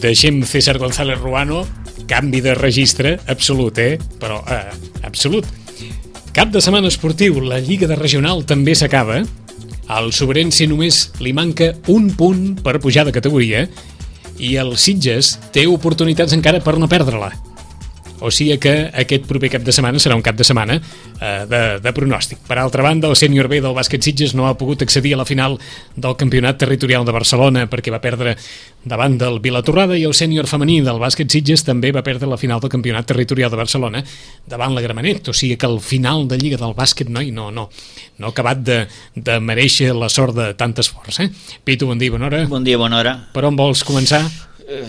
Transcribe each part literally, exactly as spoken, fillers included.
deixem César González Ruano, canvi de registre absolut, eh? Però, eh, absolut. Cap de setmana esportiu, la Lliga de Regional també s'acaba. Al Sobrense només li manca un punt per pujar de categoria i el Sitges té oportunitats encara per no perdre-la. O sigui que aquest proper cap de setmana serà un cap de setmana eh, de, de pronòstic. Per altra banda, el sènior B del bàsquet Sitges no ha pogut accedir a la final del Campionat Territorial de Barcelona perquè va perdre davant del Vilatorrada, i el sènior femení del bàsquet Sitges també va perdre la final del Campionat Territorial de Barcelona davant la Gramenet. O sigui que el final de Lliga del bàsquet noi, no, no, no ha acabat de, de mereixer la sort de tant esforç. Eh? Pitu, bon dia, bona hora. Bon dia, bona hora. Per on vols començar? Uh,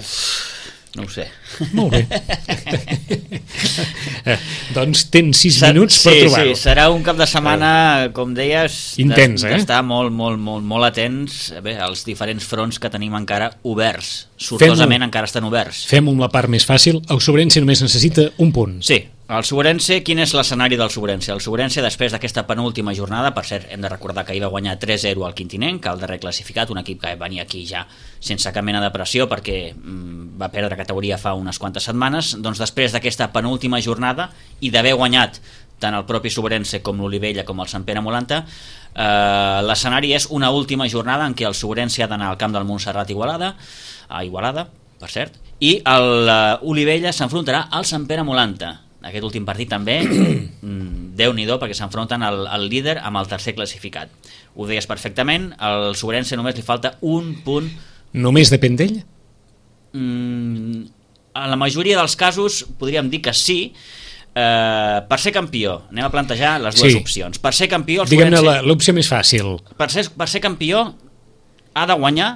no ho sé. Molt bé. eh, doncs tens sis minuts per sí, trobar-ho. Sí, serà un cap de setmana, com deies, intens, eh? d'estar molt, molt, molt, molt atents bé, als diferents fronts que tenim encara oberts. Sortosament encara estan oberts. Fem-ho amb la part més fàcil. El Sobrense només necessita un punt. Sí. El Sobrense, quin és l'escenari del Sobrense? El Sobrense, després d'aquesta penúltima jornada, per cert, hem de recordar que ahir va guanyar tres zero al Quintinenc, el darrer classificat, un equip que venia aquí ja sense cap mena de pressió perquè mm, va perdre categoria fa unes quantes setmanes. Doncs després d'aquesta penúltima jornada i d'haver guanyat tant el propi Sobrense com l'Olivella com el Sant Pere Molanta, eh, l'escenari és una última jornada en què el Sobrense ha d'anar al camp del Montserrat Igualada, a Igualada, per cert, i l'Olivella s'enfrontarà al Sant Pere Molanta. Aquest últim partit també, Déu-n'hi-do, perquè s'enfronten el, el líder amb el tercer classificat. Ho deies perfectament, al Sobrense només li falta un punt. Només depèn d'ell? Mm, en la majoria dels casos podríem dir que sí. Eh, per ser campió, anem a plantejar les dues sí. opcions. Per ser campió, el Diguem-ne Sobrense... l'opció més fàcil. Per ser, per ser campió ha de guanyar,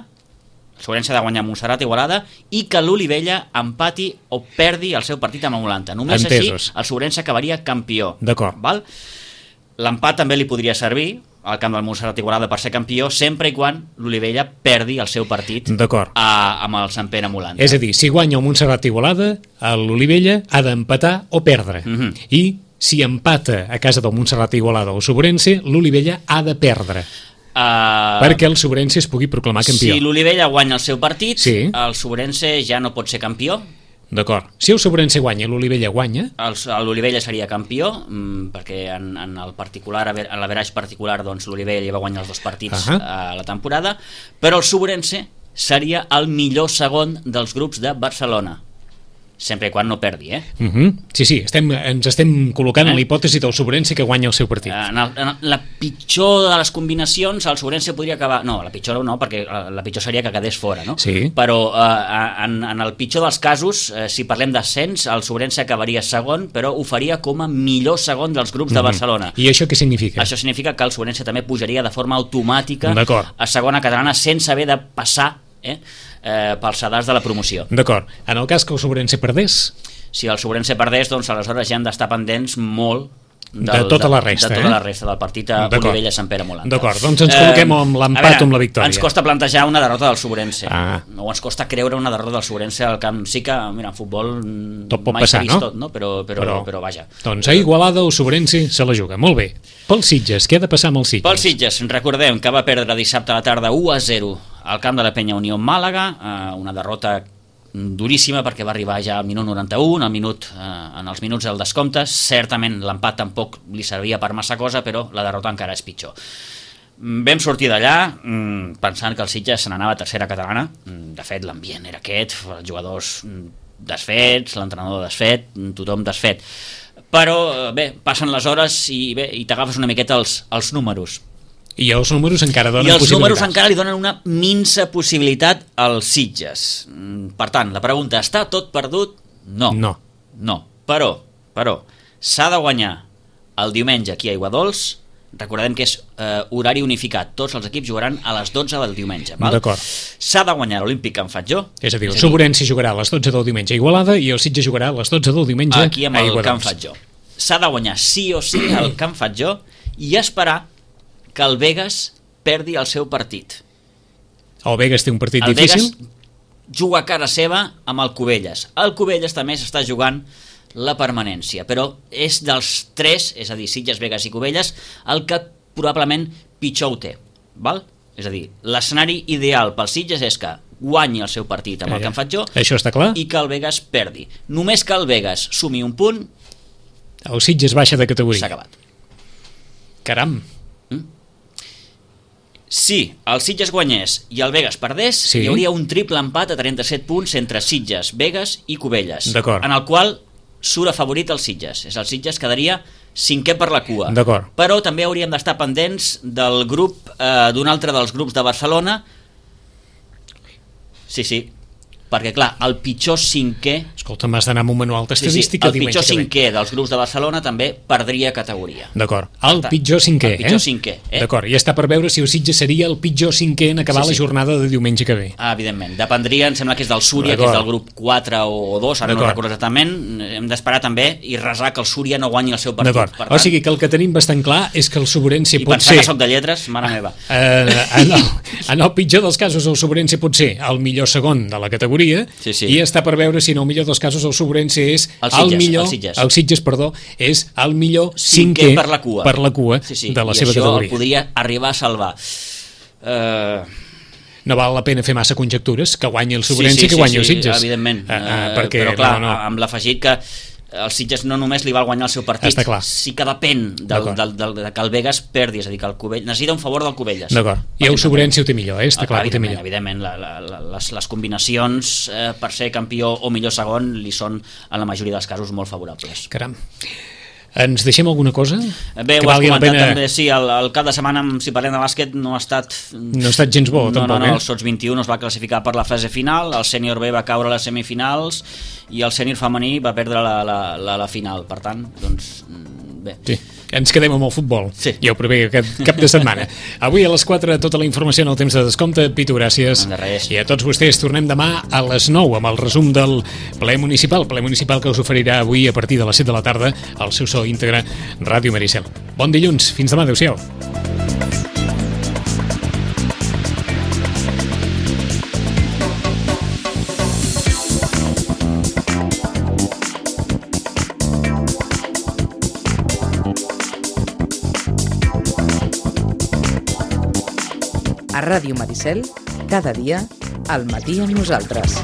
el Sobrense ha de guanyar Montserrat Igualada, i que l'Olivella empati o perdi el seu partit amb Molanta. Només Entesos. així el Sobrense acabaria campió. D'acord. Val? L'empat també li podria servir al camp del Montserrat Igualada per ser campió, sempre i quan l'Olivella perdi el seu partit a, amb el Sant Pere Molanta. És a dir, si guanya el Montserrat Igualada, l'Olivella ha d'empatar o perdre. Mm-hmm. I si empata a casa del Montserrat Igualada o Sobrense, l'Olivella ha de perdre. Uh, perquè el Sobrense es pugui proclamar campió. Si l'Olivella guanya el seu partit, sí. el Sobrense ja no pot ser campió. D'acord. Si el Sobrense guanya i l'Olivella guanya... L'Olivella seria campió, mmm, perquè en, en el particular, en l'averaix particular, doncs, l'Olivella va guanyar els dos partits uh -huh. a la temporada, però el Sobrense seria el millor segon dels grups de Barcelona. Sempre i quan no perdi, eh? Uh -huh. Sí, sí, estem, ens estem col·locant eh? en la hipòtesi del Sobrense que guanya el seu partit. En, el, en la pitjor de les combinacions, el Sobrense podria acabar... No, la pitjor no, perquè la pitjor seria que quedés fora, no? Sí. Però eh, en, en el pitjor dels casos, eh, si parlem d'ascens, el Sobrense acabaria segon, però ho faria com a millor segon dels grups de Barcelona. Uh -huh. I això què significa? Això significa que el Sobrense també pujaria de forma automàtica a segona catalana sense haver de passar eh, eh, pels sedars de la promoció. D'acord. En el cas que el Sobrense perdés? Si el Sobrense perdés, doncs aleshores ja hem d'estar pendents molt del, de tota la resta, de, de tota eh? la resta del partit a Olivella-Sant Pere Molanta. D'acord, doncs ens col·loquem eh, amb l'empat o amb la victòria. Ens costa plantejar una derrota del Sobrense. Ah. O ens costa creure una derrota del Sobrense al camp. Sí que, mira, en futbol tot pot mai passar, vist no? tot, no? Però, però, però, però vaja. Doncs a Igualada o Sobrense se la juga. Molt bé. Pel Sitges, què ha de passar amb el Sitges? Pel Sitges, recordem que va perdre dissabte a la tarda u a zero al camp de la Penya Unió Màlaga, eh, una derrota duríssima perquè va arribar ja al minut noranta-u, al minut, eh, en els minuts del descompte. Certament l'empat tampoc li servia per massa cosa, però la derrota encara és pitjor. Vam sortir d'allà mmm, pensant que el Sitges se n'anava a tercera catalana. De fet, l'ambient era aquest, els jugadors desfets, l'entrenador desfet, tothom desfet. Però bé, passen les hores i, bé, i t'agafes una miqueta els, els números. I els números encara donen I els possibilitats. números encara li donen una minsa possibilitat als Sitges. Per tant, la pregunta, està tot perdut? No. No. No. Però, però, s'ha de guanyar el diumenge aquí a Aiguadols. Recordem que és eh, horari unificat. Tots els equips jugaran a les dotze del diumenge. D'acord. S'ha de guanyar l'Olímpic Can Fatjó. És a dir, el Sobrense jugarà a les dotze del diumenge a Igualada i el Sitges jugarà a les dotze del diumenge aquí amb a el Aiguadols. Can Fatjó. S'ha de guanyar sí o sí el Can Fatjó i esperar que el Begues perdi el seu partit. El Begues té un partit el difícil? El Begues juga a cara seva amb el Cubelles. El Cubelles també s'està jugant la permanència, però és dels tres, és a dir, Sitges, Begues i Cubelles, el que probablement pitjor ho té, val? És a dir, l'escenari ideal pels Sitges és que guanyi el seu partit amb el que em faig jo, això està clar, i que el Begues perdi. Només que el Begues sumi un punt, el Sitges baixa de categoria. S'ha acabat. Caram. Mm? Si el Sitges guanyés i el Begues perdés, sí, hi hauria un triple empat a trenta-set punts entre Sitges, Begues i Cubelles, en el qual surt afavorit el Sitges. És el Sitges quedaria cinquè per la cua. Però també hauríem d'estar pendents del grup, eh, d'un altre dels grups de Barcelona. Sí, sí, perquè clar, el pitjor cinquè... Escolta, m'has d'anar amb un manual d'estadística. Sí, sí, el pitjor cinquè dels grups de Barcelona també perdria categoria. D'acord, el pitjor cinquè, el pitjor cinquè, eh? D'acord, i està per veure si el Sitges seria el pitjor cinquè en acabar sí, sí. la jornada de diumenge que ve. Ah, evidentment, dependria, em sembla que és del Súria, que és del grup quatre o dos, ara no recordo exactament, hem d'esperar també i resar que el Súria no guanyi el seu partit. D'acord, tant... o sigui que el que tenim bastant clar és que el Sobrense pot ser... I pensar que soc de lletres, mare meva. Eh, en, el, en el pitjor dels casos el Sobrense pot ser el millor segon de la categoria, sí, sí. i està per veure si en el millor dels casos el Sobrense és el Sitges, el millor, el Sitges. el Sitges, perdó, és el millor cinquè per la cua, per la cua sí, sí. de la I seva categoria. I això podria arribar a salvar. Uh... No val la pena fer massa conjectures, que guanyi el Sobrense sí, sí, i que guanyi sí, el Sitges. Sí, evidentment, uh, uh, perquè, però clar, no, no. amb l'afegit que el Sitges no només li val guanyar el seu partit, sí que depèn del, del, del, de que el Begues perdi, és a dir, que el Cubell necessita un favor del Cubelles. D'acord, i el Sobrense ho té millor, eh? Està clar que ho té millor. Evidentment, la, la, la, les, les combinacions eh, per ser campió o millor segon li són, en la majoria dels casos, molt favorables. Caram. Ens deixem alguna cosa? Bé, ho has comentat pena... també, sí, el, el cap de setmana, si parlem de bàsquet, no ha estat... No ha estat gens bo, no, tampoc, no, no, eh? el Sots vint-i-u es va classificar per la fase final, el sènior B va caure a les semifinals i el sènior femení va perdre la, la, la, la final, per tant, doncs... Bé. Sí, ens quedem amb el futbol, sí. Ja ho prevé aquest cap de setmana. Avui a les quatre tota la informació en el temps de descompte. Pitu, gràcies. De res. I a tots vostès tornem demà a les nou amb el resum del ple municipal, ple municipal que us oferirà avui a partir de les set de la tarda al seu so íntegre Ràdio Maricel. Bon dilluns, fins demà, adeu-siau. A Ràdio Maricel, cada dia, al matí amb nosaltres.